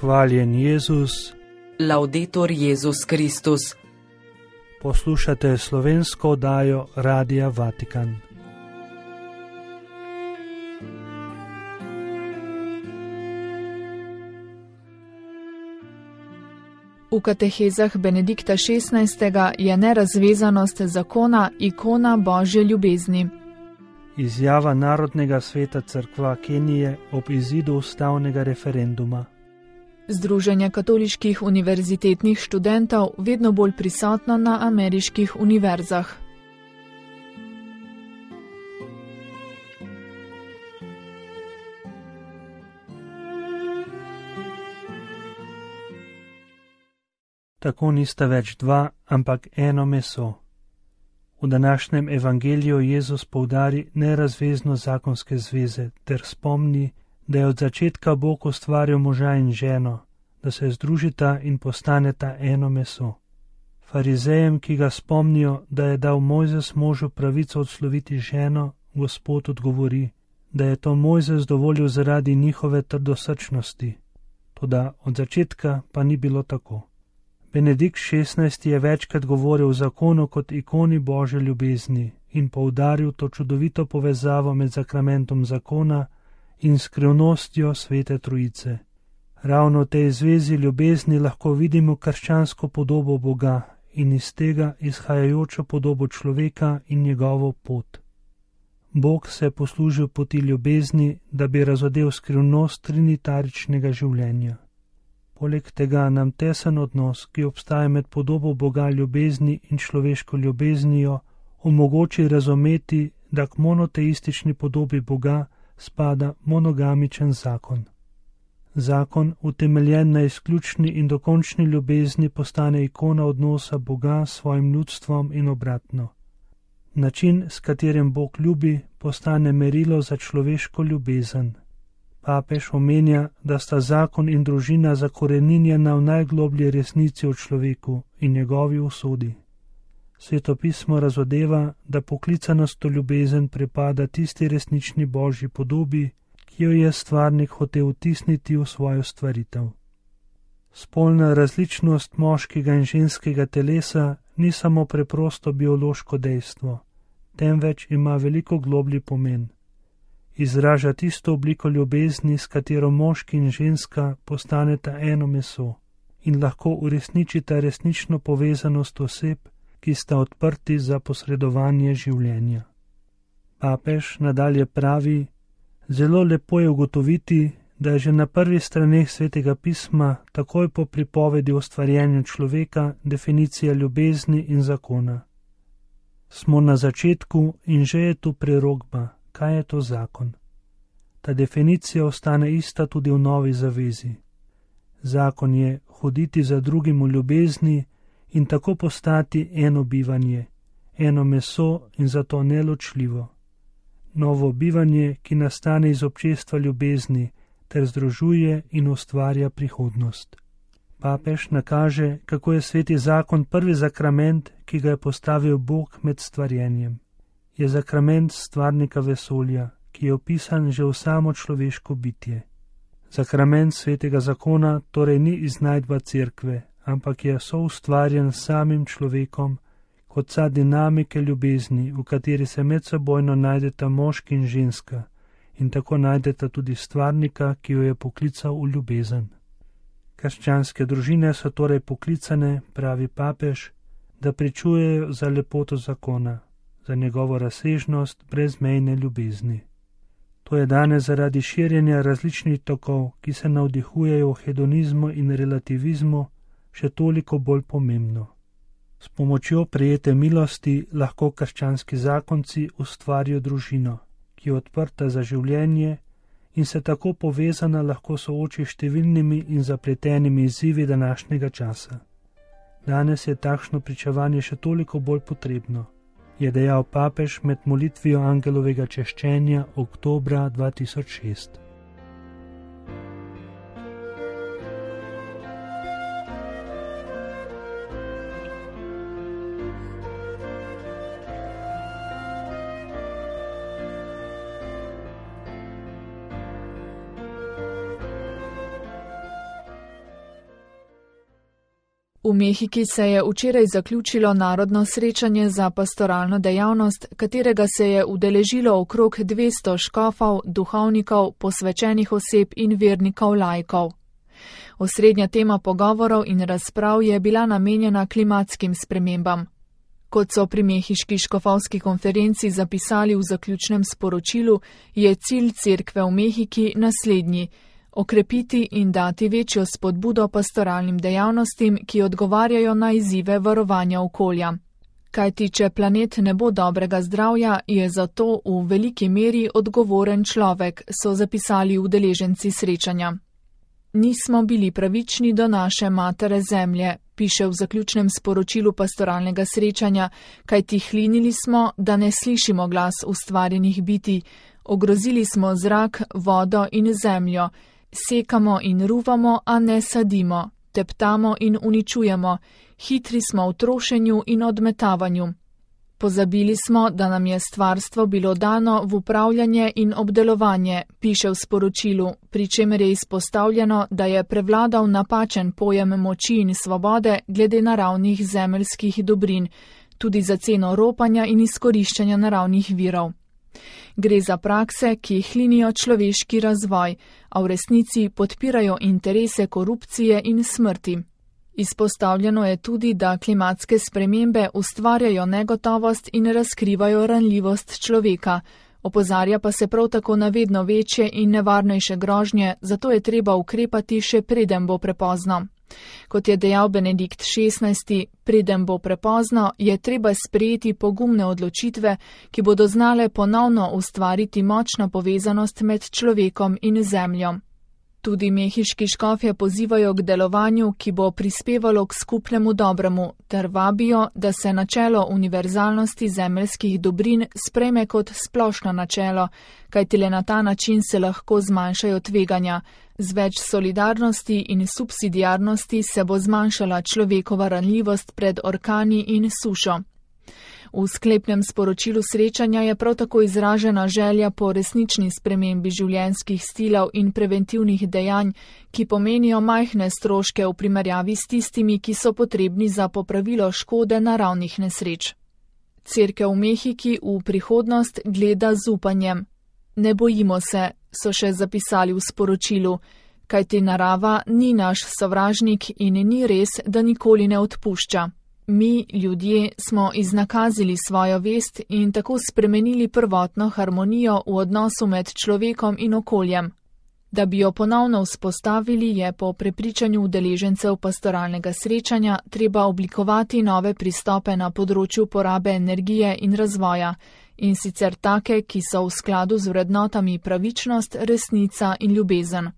Hvaljen Jezus. Laudetur Jezus Kristus. Poslušate slovensko oddajo Radia Vatikan. V katehezah Benedikta XVI. Je nerazvezanost zakona ikona Božje ljubezni. Izjava Narodnega sveta Cerkva Kenije ob izidu ustavnega referenduma. Združenje katoliških univerzitetnih študentov vedno bolj prisotno na ameriških univerzah. Tako nista več dva, ampak eno meso. V današnjem evangeliju Jezus poudari nerazveznost zakonske zveze ter spomni, da je od začetka Bog ustvaril moža in ženo, da se združita in postaneta eno meso. Farizejem, ki ga spomnijo, da je dal Mojzes možu pravico odsloviti ženo, Gospod odgovori, da je to Mojzes dovolil zaradi njihove trdosrčnosti. Toda od začetka pa ni bilo tako. Benedikt XVI. Je večkrat govoril o zakonu kot ikoni Božje ljubezni in poudaril to čudovito povezavo med sakramentom zakona in skrivnostjo Svete Trojice. Ravno v tej zvezi ljubezni lahko vidimo krščansko podobo Boga in iz tega izhajajočo podobo človeka in njegovo pot. Bog se je poslužil poti ljubezni, da bi razodel skrivnost trinitaričnega življenja. Poleg tega nam tesen odnos, ki obstaja med podobo Boga ljubezni in človeško ljubeznijo, omogoči razumeti, da k monoteistični podobi Boga spada monogamičen zakon. Zakon, utemeljen na izključni in dokončni ljubezni, postane ikona odnosa Boga s svojim ljudstvom in obratno. Način, s katerim Bog ljubi, postane merilo za človeško ljubezen. Papež omenja, da sta zakon in družina zakoreninjena v najgloblji resnici o človeku in njegovi usodi. Sveto pismo razodeva, da poklicanost v ljubezen pripada tisti resnični Božji podobi, ki jo je stvarnik hotel vtisniti v svojo stvaritev. Spolna različnost moškega in ženskega telesa ni samo preprosto biološko dejstvo, temveč ima veliko globlji pomen. Izraža tisto obliko ljubezni, s katero moški in ženska postaneta eno meso in lahko uresničita resnično povezanost oseb, ki sta odprti za posredovanje življenja. Papež nadalje pravi, zelo lepo je ugotoviti, da je že na prvih straneh Svetega pisma, takoj po pripovedi o ustvarjanju človeka, definicija ljubezni in zakona. Smo na začetku in že je tu prerokba. Kaj je to zakon? Ta definicija ostane ista tudi v Novi zavezi. Zakon je hoditi za drugim v ljubezni in tako postati eno bivanje, eno meso in zato neločljivo. Novo bivanje, ki nastane iz občestva ljubezni ter združuje in ustvarja prihodnost. Papež nakaže, kako je sveti zakon prvi sakrament, ki ga je postavil Bog med stvarjenjem. Je sakrament stvarnika vesolja, ki je opisan že v samo človeško bitje. Sakrament svetega zakona torej ni iznajdba cerkve, ampak je soustvarjen s samim človekom, kot vsa dinamike ljubezni, v kateri se medsebojno najdeta moški in ženska in tako najdeta tudi stvarnika, ki jo je poklical v ljubezen. Krščanske družine so torej poklicane, pravi papež, da pričujejo za lepoto zakona, za njegovo razsežnost brezmejne ljubezni. To je danes zaradi širjenja različnih tokov, ki se navdihujejo v hedonizmu in relativizmu, še toliko bolj pomembno. S pomočjo prejete milosti lahko krščanski zakonci ustvarijo družino, ki je odprta za življenje in se tako povezana lahko sooči številnimi in zapletenimi izzivi današnjega časa. Danes je takšno pričevanje še toliko bolj potrebno, je dejal papež med molitvijo angelovega češčenja oktobra 2006. V Mehiki se je včeraj zaključilo narodno srečanje za pastoralno dejavnost, katerega se je udeležilo okrog 200 škofov, duhovnikov, posvečenih oseb in vernikov laikov. Osrednja tema pogovorov in razprav je bila namenjena klimatskim spremembam. Kot so pri mehiški škofovski konferenci zapisali v zaključnem sporočilu, je cilj cerkve v Mehiki naslednji: okrepiti in dati večjo spodbudo pastoralnim dejavnostim, ki odgovarjajo na izzive varovanja okolja. Kajti, če planet ne bo dobrega zdravja, je za to v veliki meri odgovoren človek, so zapisali udeleženci srečanja. Nismo bili pravični do naše matere zemlje, piše v zaključnem sporočilu pastoralnega srečanja, kajti hlinili smo, da ne slišimo glas ustvarjenih bitij, ogrozili smo zrak, vodo in zemljo, sekamo in ruvamo, a ne sadimo, teptamo in uničujemo, hitri smo v trošenju in odmetavanju. Pozabili smo, da nam je stvarstvo bilo dano v upravljanje in obdelovanje, piše v sporočilu, pri čemer je izpostavljeno, da je prevladal napačen pojem moči in svobode glede naravnih zemeljskih dobrin, tudi za ceno ropanja in izkoriščanja naravnih virov. Gre za prakse, ki hlinijo človeški razvoj, a v resnici podpirajo interese korupcije in smrti. Izpostavljeno je tudi, da klimatske spremembe ustvarjajo negotovost in razkrivajo ranljivost človeka. Opozarja pa se prav tako na vedno večje in nevarnejše grožnje, zato je treba ukrepati še preden bo prepozno. Kot je dejal Benedikt XVI, preden bo prepozno, je treba sprejeti pogumne odločitve, ki bodo znale ponovno ustvariti močno povezanost med človekom in zemljo. Tudi mehiški škofje pozivajo k delovanju, ki bo prispevalo k skupnemu dobremu, ter vabijo, da se načelo univerzalnosti zemeljskih dobrin sprejme kot splošno načelo, kajti le na ta način se lahko zmanjšajo tveganja. Z več solidarnosti in subsidiarnosti se bo zmanjšala človekova ranljivost pred orkani in sušo. V sklepnem sporočilu srečanja je prav tako izražena želja po resnični spremembi življenjskih stilov in preventivnih dejanj, ki pomenijo majhne stroške v primerjavi s tistimi, ki so potrebni za popravilo škode naravnih nesreč. Cerkev v Mehiki v prihodnost gleda z upanjem. Ne bojimo se, so še zapisali v sporočilu, kajti narava ni naš sovražnik in ni res, da nikoli ne odpušča. Mi, ljudje, smo iznakazili svojo vest in tako spremenili prvotno harmonijo v odnosu med človekom in okoljem. Da bi jo ponovno vzpostavili, je po prepričanju udeležencev pastoralnega srečanja treba oblikovati nove pristope na področju porabe energije in razvoja, in sicer take, ki so v skladu z vrednotami pravičnost, resnica in ljubezen.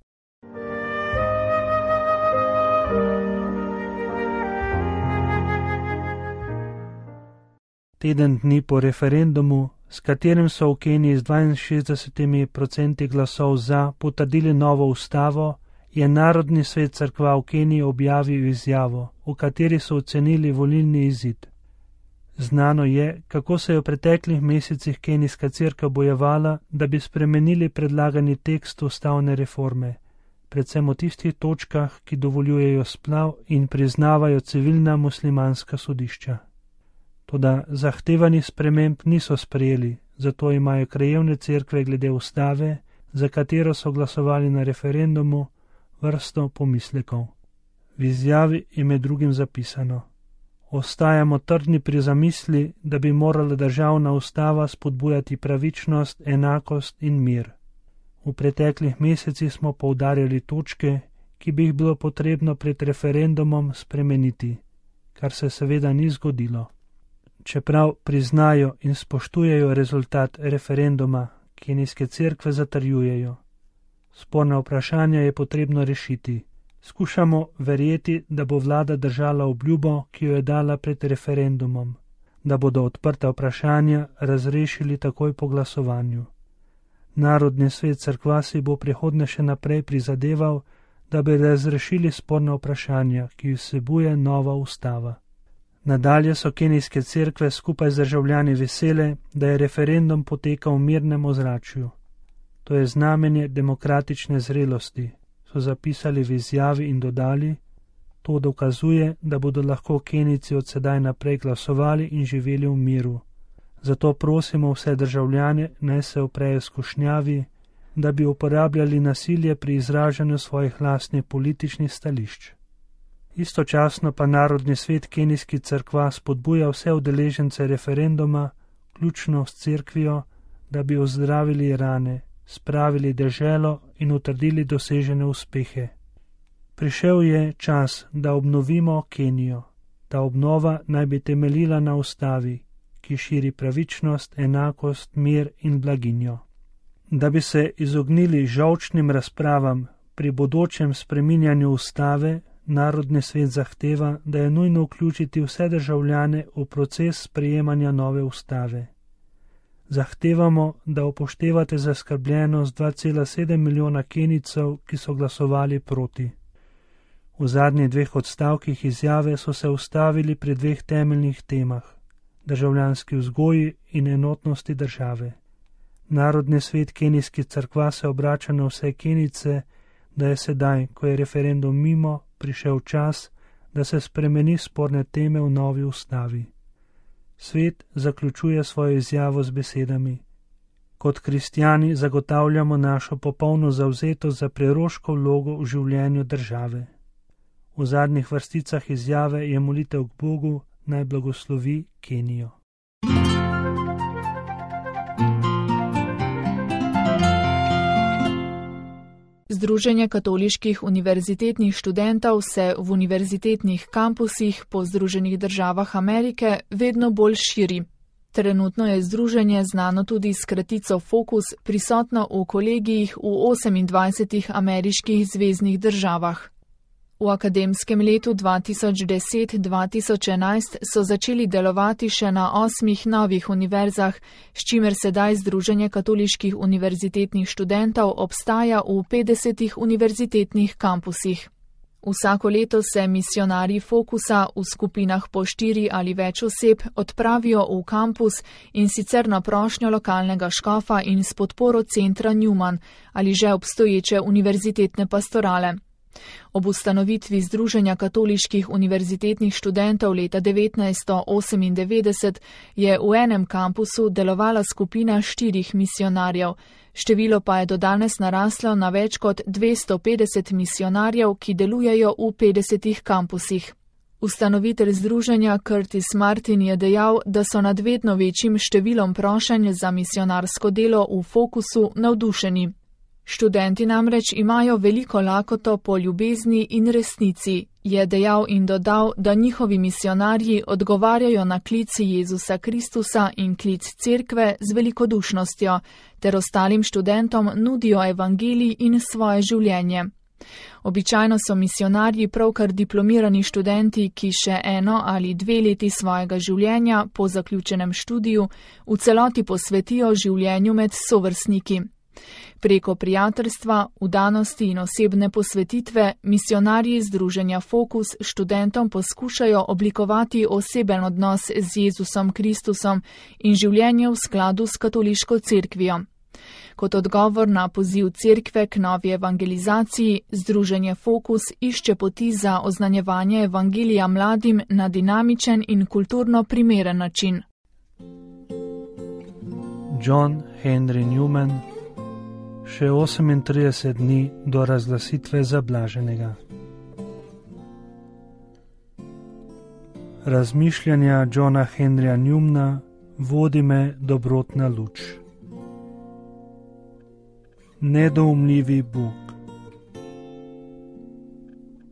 Teden dni po referendumu, s katerim so v Keniji z 62% glasov za potrdili novo ustavo, je Narodni svet cerkva v Keniji objavil izjavo, v kateri so ocenili volilni izid. Znano je, kako se je v preteklih mesecih kenijska cerkev bojevala, da bi spremenili predlagani tekst ustavne reforme, predvsem v tistih točkah, ki dovoljujejo splav in priznavajo civilna muslimanska sodišča. Toda zahtevanih sprememb niso sprejeli, zato imajo krajevne cerkve glede ustave, za katero so glasovali na referendumu, vrsto pomislekov. V izjavi je med drugim zapisano: ostajamo trdni pri zamisli, da bi morala državna ustava spodbujati pravičnost, enakost in mir. V preteklih mesecih smo poudarjali točke, ki bi jih bilo potrebno pred referendumom spremeniti, kar se seveda ni zgodilo. Čeprav priznajo in spoštujejo rezultat referenduma, kenijske cerkve zatrjujejo. Sporna vprašanja je potrebno rešiti. Skušamo verjeti, da bo vlada držala obljubo, ki jo je dala pred referendumom, da bodo odprta vprašanja razrešili takoj po glasovanju. Narodni svet cerkva si bo prihodnje še naprej prizadeval, da bi razrešili sporna vprašanja, ki vsebuje nova ustava. Nadalje so kenijske cerkve skupaj z državljani vesele, da je referendum potekal v mirnem ozračju. To je znamenje demokratične zrelosti, so zapisali v izjavi in dodali: To dokazuje, da bodo lahko Kenijci od sedaj naprej glasovali in živeli v miru. Zato prosimo vse državljane, naj se uprejo skušnjavi, da bi uporabljali nasilje pri izražanju svojih lastnih političnih stališč. Istočasno pa Narodni svet kenijskih cerkva spodbuja vse udeležence referenduma, vključno s cerkvijo, da bi ozdravili rane, spravili deželo in utrdili dosežene uspehe. Prišel je čas, da obnovimo Kenijo. Ta obnova naj bi temeljila na ustavi, ki širi pravičnost, enakost, mir in blaginjo. Da bi se izognili žolčnim razpravam pri bodočem spreminjanju ustave, Narodni svet zahteva, da je nujno vključiti vse državljane v proces sprejemanja nove ustave. Zahtevamo, da upoštevate zaskrbljenost 2,7 milijona Kenijcev, ki so glasovali proti. V zadnjih 2 odstavkih izjave so se ustavili pri 2 temeljnih temah: državljanski vzgoji in enotnosti države. Narodni svet kenijskih cerkva se obrača na vse Kenijce, da je sedaj, ko je referendum mimo, prišel čas, da se spremeni sporne teme v novi ustavi. Svet zaključuje svojo izjavo z besedami: Kot kristjani zagotavljamo našo popolno zavzetost za preroško vlogo v življenju države. V zadnjih vrsticah izjave je molitev k Bogu, naj blagoslovi Kenijo. Združenje katoliških univerzitetnih študentov se v univerzitetnih kampusih po Združenih državah Amerike vedno bolj širi. Trenutno je združenje, znano tudi s kratico Focus, prisotno v kolegijih v 28 ameriških zveznih državah. V akademskem letu 2010-2011 so začeli delovati še na 8 novih univerzah, s čimer sedaj Združenje katoliških univerzitetnih študentov obstaja v 50 univerzitetnih kampusih. Vsako leto se misionarji Focusa v skupinah po 4 ali več oseb odpravijo v kampus, in sicer na prošnjo lokalnega škofa in s podporo centra Newman ali že obstoječe univerzitetne pastorale. Ob ustanovitvi Združenja katoliških univerzitetnih študentov leta 1998 je v enem kampusu delovala skupina 4 misionarjev, število pa je do danes naraslo na več kot 250 misionarjev, ki delujejo v 50 kampusih. Ustanovitelj združenja Curtis Martin je dejal, da so nad vedno večjim številom prošenj za misionarsko delo v Focusu navdušeni. Študenti namreč imajo veliko lakoto po ljubezni in resnici, je dejal in dodal, da njihovi misionarji odgovarjajo na klic Jezusa Kristusa in klic cerkve z velikodušnostjo, ter ostalim študentom nudijo evangelij in svoje življenje. Običajno so misionarji pravkar diplomirani študenti, ki še 1 ali 2 leti svojega življenja po zaključenem študiju v celoti posvetijo življenju med sovrstniki. Preko prijateljstva, vdanosti in osebne posvetitve misionarji združenja Focus študentom poskušajo oblikovati oseben odnos z Jezusom Kristusom in življenje v skladu s katoliško cerkvijo. Kot odgovor na poziv cerkve k novi evangelizaciji, združenje Focus išče poti za oznanjevanje evangelija mladim na dinamičen in kulturno primeren način. John Henry Newman. Še 38 dni do razglasitve za blaženega. Razmišljanja Johna Henryja Newmana vodi me dobrotna luč. Nedoumljivi Bog.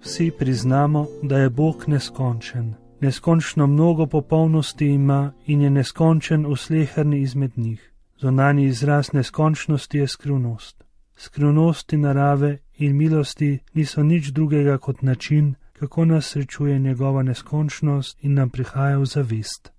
Vsi priznamo, da je Bog neskončen. Neskončno mnogo popolnosti ima in je neskončen v sleherni izmed njih. Zunanji izraz neskončnosti je skrivnost. Skrivnosti narave in milosti niso nič drugega kot način, kako nas srečuje njegova neskončnost in nam prihaja v zavest.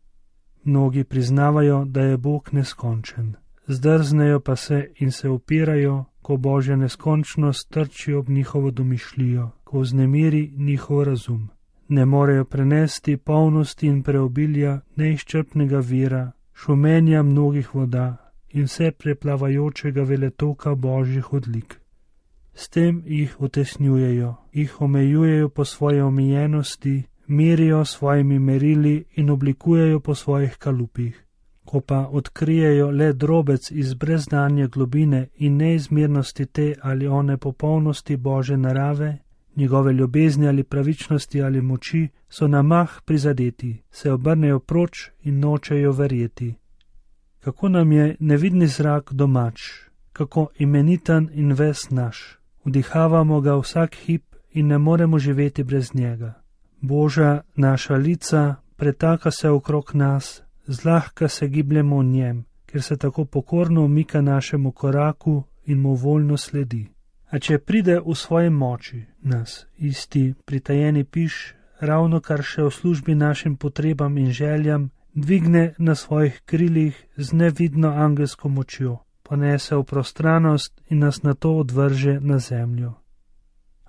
Mnogi priznavajo, da je Bog neskončen. Zdrznejo pa se in se upirajo, ko Božja neskončnost trči ob njihovo domišljijo, ko vznemiri njihov razum. Ne morejo prenesti polnosti in preobilja neizčrpnega vira, šumenja mnogih voda in vse preplavajočega veletoka Božjih odlik. S tem jih utesnjujejo, jih omejujejo po svoji omejenosti, merijo svojimi merili in oblikujejo po svojih kalupih. Ko pa odkrijejo le drobec iz brezdanje globine in neizmernosti te ali one popolnosti Božje narave, njegove ljubezni ali pravičnosti ali moči, so na mah prizadeti, se obrnejo proč in nočejo verjeti. Kako nam je nevidni zrak domač, kako imeniten in ves naš. Vdihavamo ga vsak hip in ne moremo živeti brez njega. Božja naša lica pretaka se okrog nas, zlahka se gibljemo v njem, ker se tako pokorno umika našemu koraku in mu voljno sledi. A če pride v svoji moči nas, isti pritajeni piš, ravno kar še v službi našim potrebam in željam, dvigne na svojih krilih z nevidno angelsko močjo, ponese v prostranost in nas nato odvrže na zemljo.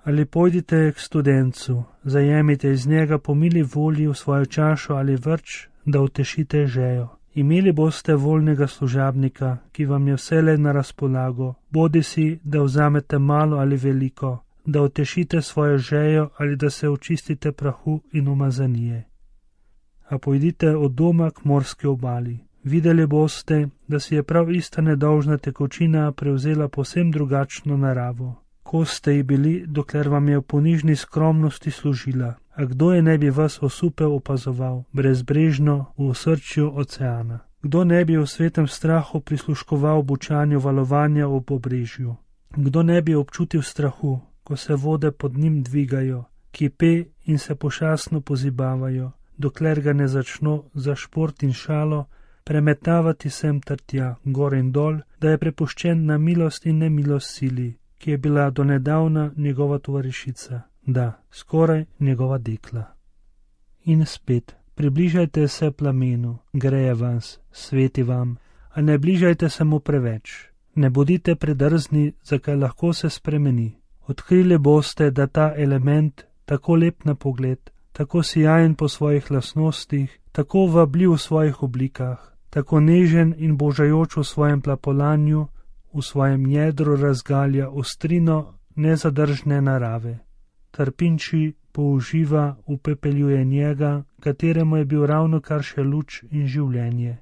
Ali pojdite k studencu, zajemite iz njega po mili volji v svojo čašo ali vrč, da utešite žejo. Imeli boste voljnega služabnika, ki vam je vselej na razpolago, bodisi da vzamete malo ali veliko, da utešite svojo žejo ali da se očistite prahu in umazanije. A pojdite od doma k morski obali. Videli boste, da si je prav ista nedolžna tekočina prevzela povsem drugačno naravo. Ko ste ji bili, dokler vam je v ponižni skromnosti služila, a kdo je ne bi vas osupel opazoval, brezbrežno v osrčju oceana? Kdo ne bi v svetem strahu prisluškoval bučanju valovanja ob obrežju? Kdo ne bi občutil strahu, ko se vode pod njim dvigajo, kipe in se pošastno pozibavajo, dokler ga ne začno za šport in šalo premetavati sem ter tja, gor in dol, da je prepuščen na milost in nemilost sili, ki je bila donedavna njegova tovarišica, da, skoraj njegova dekla. In spet, približajte se plamenu, greje vas, sveti vam, a ne bližajte se mu preveč. Ne bodite predrzni, zakaj lahko se spremeni. Odkrili boste, da ta element, tako lep na pogled, tako sijajen po svojih lastnostih, tako vabljiv v svojih oblikah, tako nežen in božajoč v svojem plapolanju, v svojem jedru razgalja ostrino nezadržne narave. Trpinči použiva, upepeljuje njega, kateremu je bil ravno kar še luč in življenje.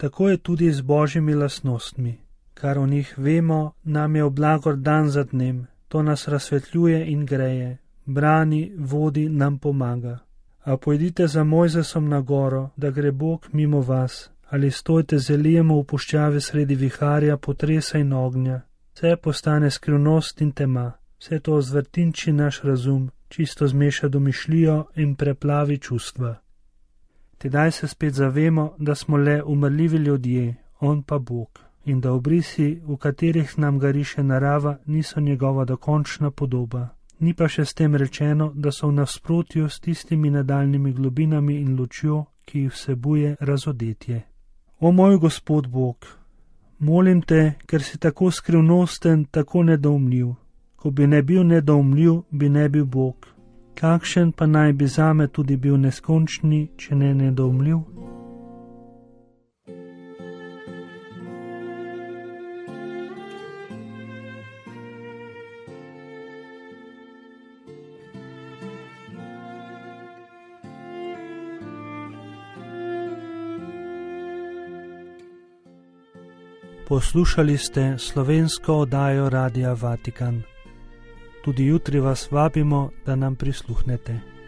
Tako je tudi z božjimi lastnostmi. Kar o njih vemo, nam je oblagor dan za dnem, to nas razsvetljuje in greje, brani, vodi, nam pomaga. A pojdite za Mojzesom na goro, da gre Bog mimo vas, ali stojte z Elijem v puščavi sredi viharja, potresa in ognja. Vse postane skrivnost in tema, vse to zvrtinči naš razum, čisto zmeša domišljijo in preplavi čustva. Tedaj se spet zavemo, da smo le umrljivi ljudje, on pa Bog, in da obrisi, v katerih nam ga riše narava, niso njegova dokončna podoba. Ni pa še s tem rečeno, da so v nasprotju s tistimi nadaljnimi globinami in lučjo, ki jih vsebuje razodetje. O moj Gospod Bog, molim te, ker si tako skrivnosten, tako nedoumljiv. Ko bi ne bil nedoumljiv, bi ne bil Bog. Kakšen pa naj bi zame tudi bil neskončni, če ne nedoumljiv? Poslušali ste slovensko oddajo Radia Vatikan. Tudi jutri vas vabimo, da nam prisluhnete.